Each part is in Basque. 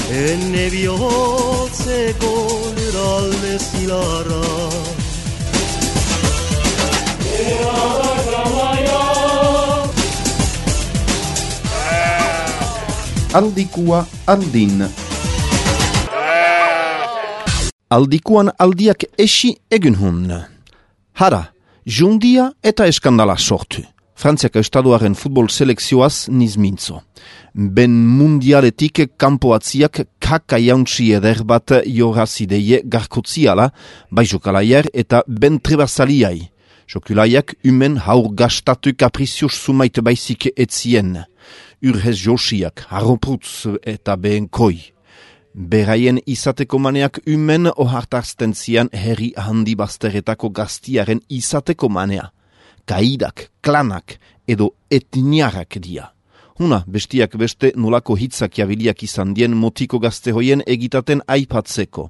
Enne bihotzeko lurralde zilarra Aldikua aldin. Aldikuan aldiak esi egin hun. Hara, jundia eta eskandala sortu. Frantziako estaduaren futbol selekzioaz nizmintzo. Ben mundialetik kanpoatziak kaka jauntzi eder bat jorazideie garkotziala, bai jokalaier eta ben trebazaliai. Jokulaiak umen haur gastatu kaprizios sumait baizik etzien. Urhez josiak, harroprutz eta behen koi. Beraien izateko maneak umen ohartarzten zian herri handi bazteretako gaztiaren izateko manea. Kaidak, klanak edo etniarrak dia. Huna, bestiak beste nolako hitzak jabiliak izan dien motiko gazte hoien egitaten aipatzeko.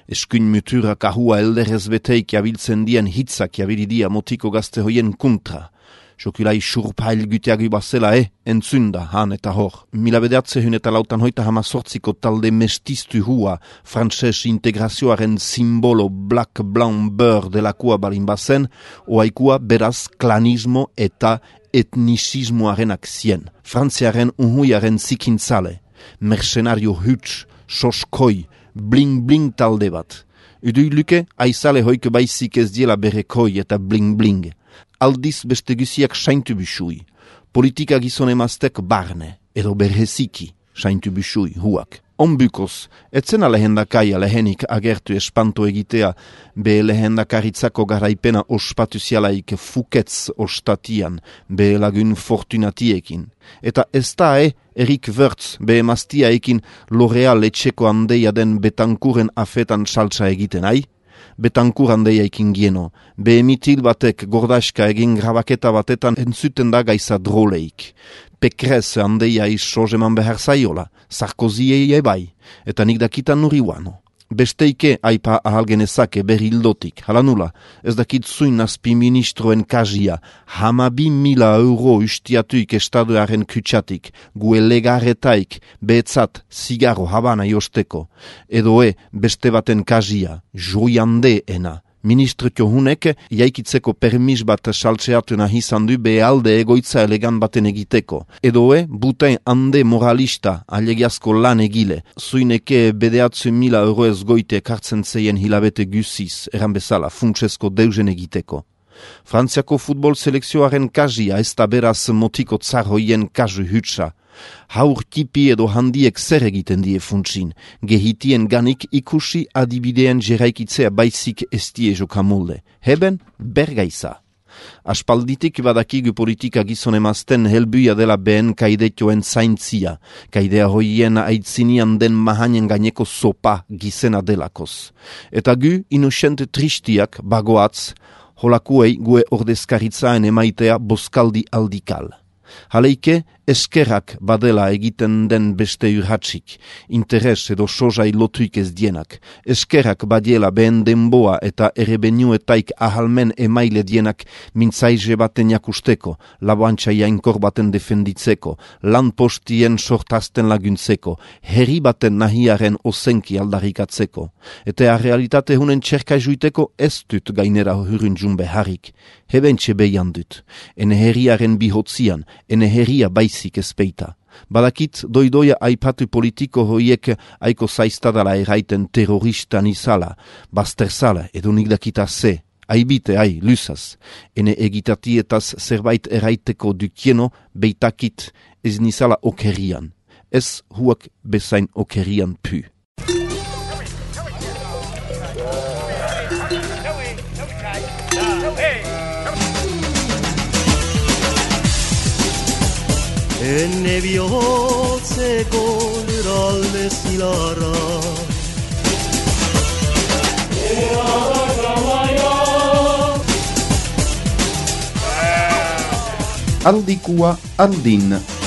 Eskuin mutura kahua elderrez beteik jabiltzen dien hitzak jabilidia motiko gazte hoien kontra. Jokulai surpail güteagu bazela entzunda han eta hor. Mila bedeatzehun eta lautan hoita hamazortziko talde mestiztu hua, frantses integrazioaren simbolo black blanc beurre delakua balin bazen, oaikua beraz klanismo eta etnisismoarenak zien. Frantziaren unhuiaren zikintzale, mercenario huts, soskoi, bling-bling talde bat. Udui luke, aizale hoik baizik ez diela berekoi eta bling-bling. Aldiz beste guziak saintu bisui. Politika gizon emaztek barne, edo berheziki saintu bisui huak. Onbukoz, etzena lehendakaia lehenik agertu espanto egitea, be lehendakaritzako garaipena ospatuzialaik fuketz ostatian, be lagun fortunatiekin. Eta ez da Erik Wörtz be emaztiaekin L'Oreal etxeko handeia den Betankuren afetan saltza egiten Betankur handeia ekin gieno, be emitil batek gordaska egin grabaketa batetan entzuten da gaiza droleik. Pekrez handeia sozeman behar zaiola, Sarkozy ebai, eta nik dakitan nuriwano. Besteike aipa ahalgenezake berildotik, hala nula, ez dakit zuin azpi ministroen kazia, 12.000 euro ustiatuik estaduaren kutsatik, gue legaretaik, behetzat, zigaro habana josteko, edo beste baten kazia, joiande ena. Ministriko hunek jaikitzeko permis bat saltzeatu nahi izan du behalde egoitza elegan baten egiteko. Edo buten hande moralista alegiazko lan egile. Zuineke bedeatzu 1.000 euro ez goite kartzen zeien hilabete guziz, eran bezala, funtsesko deusen egiteko. Frantziako futbol selekzioaren kazia ez da beraz motiko tzarroien kazu hutsa. Haur tipi edo handiek zer egiten die funtsin, gehitien ganik ikusi adibideen jeraikitzea baizik estie jokamolde. Heben, bergaiza. Aspalditik badakigu politika gizon emazten helbuia dela behen kaidetioen zaintzia, kaidea hoien aitzinian den mahanen gaineko sopa gizena delakoz. Eta gu inusente tristiak bagoatz, holakuei gue ordezkaritzaen emaitea boskaldi aldikal. Haleike, eskerrak badela egiten den beste urhatsik, interes edo sozai lotuik ez dienak. Eskerrak badiela behen denboa eta erebenuetaik ahalmen emaile dienak mintzaize baten jakusteko, laboantxa jainkor baten defenditzeko, lan postien sortazten laguntzeko, herri baten nahiaren ozenki aldarikatzeko. Eta realitate hunen txerka juiteko ez dut gainera hurunjun beharrik. Hebentxe behian dut. Ene herriaren bihotzian, ene herria baizik ezpeita. Badakit doidoia aipatu politiko hoiek aiko zaiztadala eraiten terroristan izala, bazterzala edo nik dakita ze. Aibite, luzaz. Ene egitatietaz zerbait eraiteko dukieno beitakit ez nizala okerian. Ez huak bezain okerian pu. Enne bihotzeko lurralde zilarra Aldikua aldin.